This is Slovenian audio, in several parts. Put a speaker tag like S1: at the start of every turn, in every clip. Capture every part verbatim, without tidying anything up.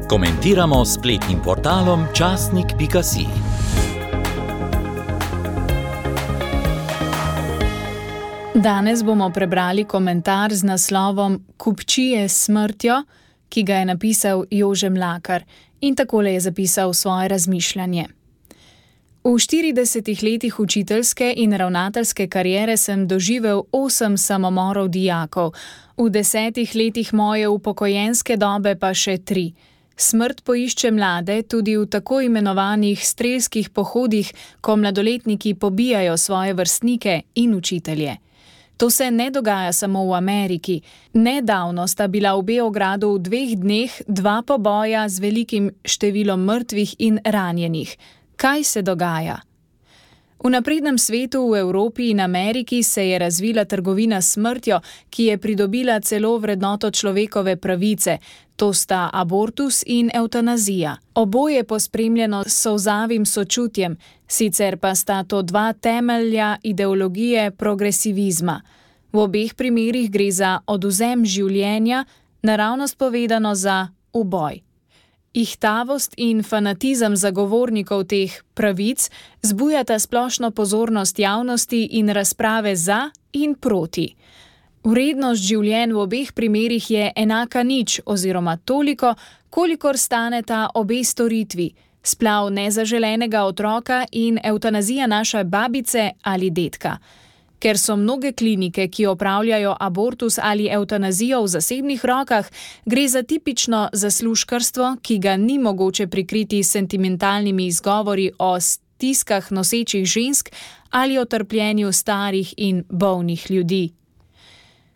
S1: Komentiramo s spletnim portalom časnik pika si.
S2: Danes bomo prebrali komentar z naslovom Kupčije s smrtjo, ki ga je napisal Jože Mlakar in takole je zapisal svoje razmišljanje. V štiridesetih letih učiteljske in ravnateljske kariere sem doživel osem samomorov dijakov, v desetih letih moje upokojenske dobe pa še tri. Smrt poišče mlade tudi v tako imenovanih strelskih pohodih, ko mladoletniki pobijajo svoje vrstnike in učitelje. To se ne dogaja samo v Ameriki. Nedavno sta bila v Beogradu v dveh dneh dva poboja z velikim številom mrtvih in ranjenih. Kaj se dogaja? V naprednem svetu v Evropi in Ameriki se je razvila trgovina s smrtjo, ki je pridobila celo vrednoto človekove pravice. To sta abortus in evtanazija. Oboje pospremljeno s solzavim sočutjem, sicer pa sta to dva temelja ideologije progresivizma. V obeh primerih gre za odvzem življenja, naravnost povedano za uboj. Ihtavost in fanatizem zagovornikov teh pravic zbujata splošno pozornost javnosti in razprave za in proti. Vrednost življenj v obeh primerih je enaka nič oziroma toliko, kolikor staneta obe storitvi, splav nezaželenega otroka in evtanazija naše babice ali dedka. Ker so mnoge klinike, ki opravljajo abortus ali evtanazijo v zasebnih rokah, gre za tipično zaslužkarstvo, ki ga ni mogoče prikriti s sentimentalnimi izgovori o stiskah nosečih žensk ali o trpljenju starih in bolnih ljudi.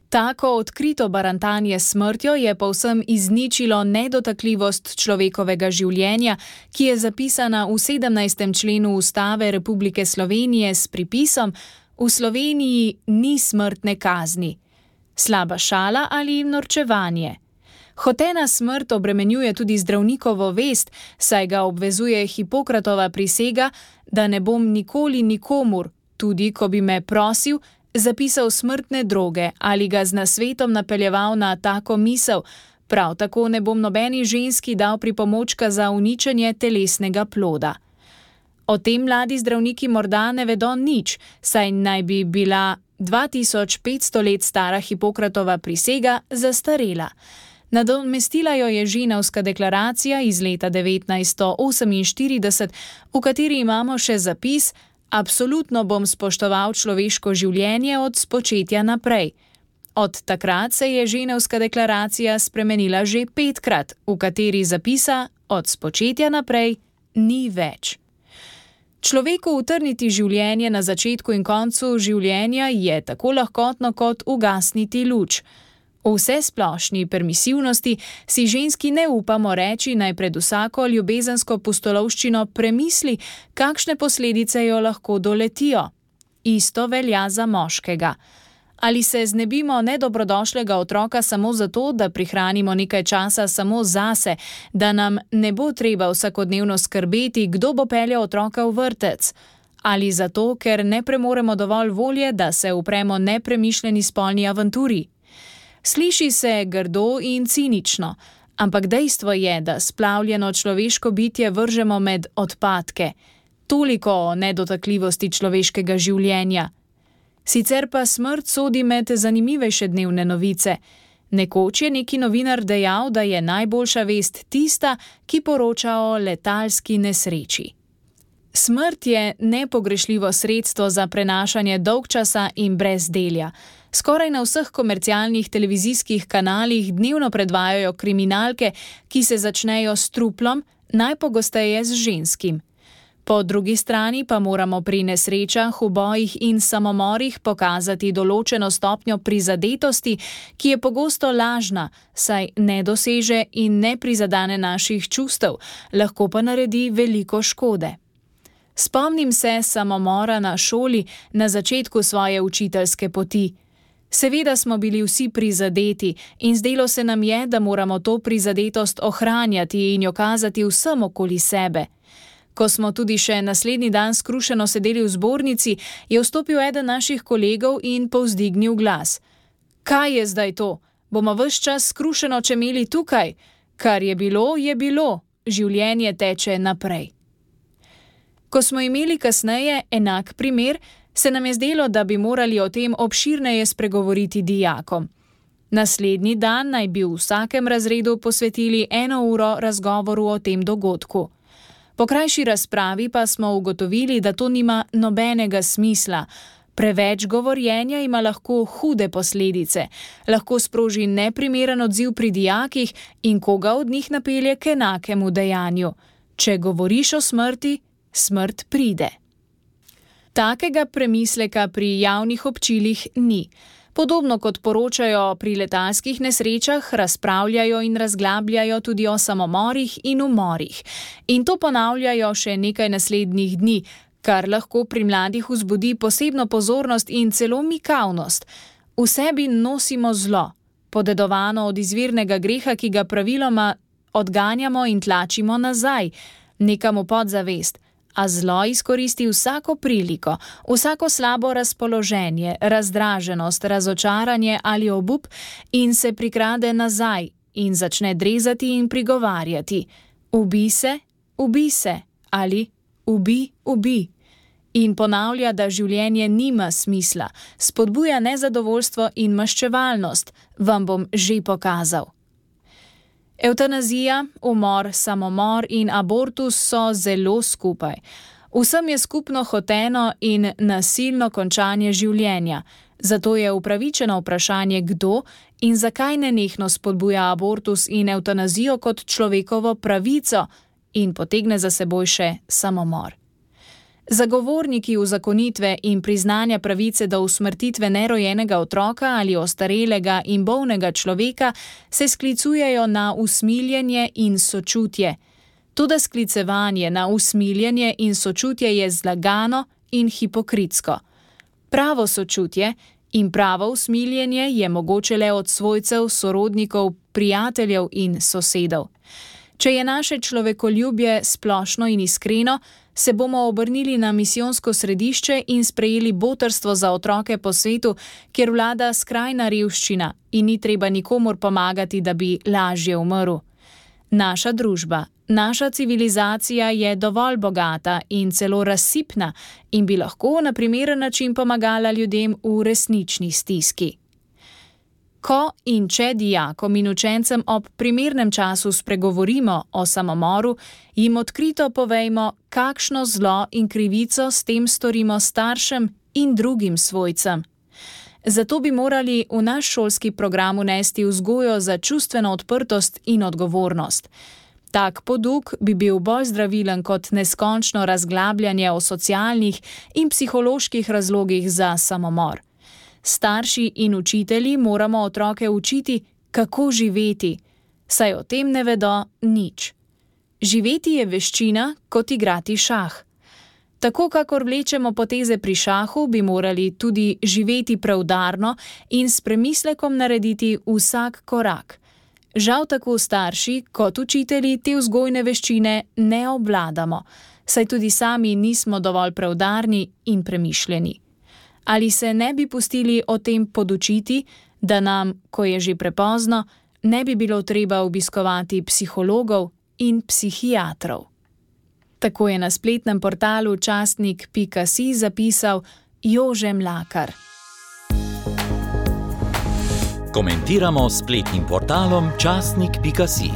S2: Tako odkrito barantanje s smrtjo je povsem izničilo nedotakljivost človekovega življenja, ki je zapisana v sedemnajstem členu Ustave Republike Slovenije s pripisom: v Sloveniji ni smrtne kazni. Slaba šala ali norčevanje? Hotena smrt obremenjuje tudi zdravnikovo vest, saj ga obvezuje Hipokratova prisega, da ne bom nikoli nikomur, tudi ko bi me prosil, zapisal smrtne droge ali ga z nasvetom napeljeval na tako misel, prav tako ne bom nobeni ženski dal pripomočka za uničenje telesnega ploda. O tem mladi zdravniki morda ne vedo nič, saj naj bi bila dva tisoč petsto let stara Hipokratova prisega zastarela. Nadomestila jo je Ženevska deklaracija iz leta devetnajststo oseminštirideset, v kateri imamo še zapis: absolutno bom spoštoval človeško življenje od spočetja naprej. Od takrat se je Ženevska deklaracija spremenila že petkrat, v kateri zapisa od spočetja naprej ni več. Človeku utrniti življenje na začetku in koncu življenja je tako lahkotno kot ugasniti luč. V vsesplošni permisivnosti si ženski ne upamo reči, naj pred vsako ljubezensko pustolovščino premisli, kakšne posledice jo lahko doletijo. Isto velja za moškega. Ali se znebimo nedobrodošlega otroka samo zato, da prihranimo nekaj časa samo zase, da nam ne bo treba vsakodnevno skrbeti, kdo bo peljal otroka v vrtec? Ali zato, ker ne premoremo dovolj volje, da se upremo nepremišljeni spolni avanturi? Sliši se grdo in cinično, ampak dejstvo je, da splavljeno človeško bitje vržemo med odpadke. Toliko o nedotakljivosti človeškega življenja. Sicer pa smrt sodi med zanimivejše dnevne novice. Nekoč je neki novinar dejal, da je najboljša vest tista, ki poroča o letalski nesreči. Smrt je nepogrešljivo sredstvo za prenašanje dolgčasa in brezdelja. Skoraj na vseh komercialnih televizijskih kanalih dnevno predvajajo kriminalke, ki se začnejo s truplom, najpogosteje z ženskim. Po drugi strani pa moramo pri nesrečah, ubojih in samomorih pokazati določeno stopnjo prizadetosti, ki je pogosto lažna, saj ne doseže in ne prizadene naših čustev, lahko pa naredi veliko škode. Spomnim se samomora na šoli na začetku svoje učiteljske poti. Seveda smo bili vsi prizadeti in zdelo se nam je, da moramo to prizadetost ohranjati in jo kazati vsem okoli sebe. Ko smo tudi še naslednji dan skrušeno sedeli v zbornici, je vstopil eden naših kolegov in povzdignil glas. Kaj je zdaj to? Bomo ves čas skrušeno čemeli tukaj? Kar je bilo, je bilo, življenje teče naprej. Ko smo imeli kasneje enak primer, se nam je zdelo, da bi morali o tem obširneje spregovoriti dijakom. Naslednji dan naj bi v vsakem razredu posvetili eno uro razgovoru o tem dogodku. Po krajši razpravi pa smo ugotovili, da to nima nobenega smisla. Preveč govorjenja ima lahko hude posledice, lahko sproži neprimeren odziv pri dijakih in koga od njih napelje k enakemu dejanju. Če govoriš o smrti, smrt pride. Takega premisleka pri javnih občilih ni. Podobno kot poročajo pri letalskih nesrečah, razpravljajo in razglabljajo tudi o samomorih in umorih. In to ponavljajo še nekaj naslednjih dni, kar lahko pri mladih vzbudi posebno pozornost in celo mikavnost. V sebi nosimo zlo, podedovano od izvirnega greha, ki ga praviloma odganjamo in tlačimo nazaj, nekam v podzavest. A zlo izkoristi vsako priliko, vsako slabo razpoloženje, razdraženost, razočaranje ali obup in se prikrade nazaj in začne drezati in prigovarjati. Ubi se, ubi se ali ubi, ubi. In ponavlja, da življenje nima smisla, spodbuja nezadovoljstvo in maščevalnost. Vam bom že pokazal. Evtanazija, umor, samomor in abortus so zelo skupaj. Vsem je skupno hoteno in nasilno končanje življenja. Zato je upravičeno vprašanje, kdo in zakaj nenehno spodbuja abortus in evtanazijo kot človekovo pravico in potegne za seboj še samomor. Zagovorniki uzakonitve in priznanja pravice do usmrtitve nerojenega otroka ali ostarelega in bolnega človeka se sklicujejo na usmiljenje in sočutje. Toda sklicevanje na usmiljenje in sočutje je zlagano in hipokritsko. Pravo sočutje in pravo usmiljenje je mogoče le od svojcev, sorodnikov, prijateljev in sosedov. Če je naše človekoljubje splošno in iskreno, se bomo obrnili na misijonsko središče in sprejeli botrstvo za otroke po svetu, kjer vlada skrajna revščina in ni treba nikomur pomagati, da bi lažje umrl. Naša družba, naša civilizacija je dovolj bogata in celo razsipna in bi lahko na primeren način pomagala ljudem v resnični stiski. Ko in če dijakom in učencem ob primernem času spregovorimo o samomoru, jim odkrito povejmo, kakšno zlo in krivico s tem storimo staršem in drugim svojcem. Zato bi morali v naš šolski program vnesti vzgojo za čustveno odprtost in odgovornost. Tak poduk bi bil bolj zdravilen kot neskončno razglabljanje o socialnih in psiholoških razlogih za samomor. Starši in učitelji moramo otroke učiti, kako živeti, saj o tem ne vedo nič. Živeti je veščina, kot igrati šah. Tako kakor vlečemo poteze pri šahu, bi morali tudi živeti preudarno in s premislekom narediti vsak korak. Žal tako starši kot učitelji te vzgojne veščine ne obvladamo, saj tudi sami nismo dovolj preudarni in premišljeni. Ali se ne bi pustili o tem podučiti, da nam, ko je že prepozno, ne bi bilo treba obiskovati psihologov in psihiatrov. Tako je na spletnem portalu časnik pika si zapisal Jože Mlakar.
S1: Komentiramo s spletnim portalom časnik pika si.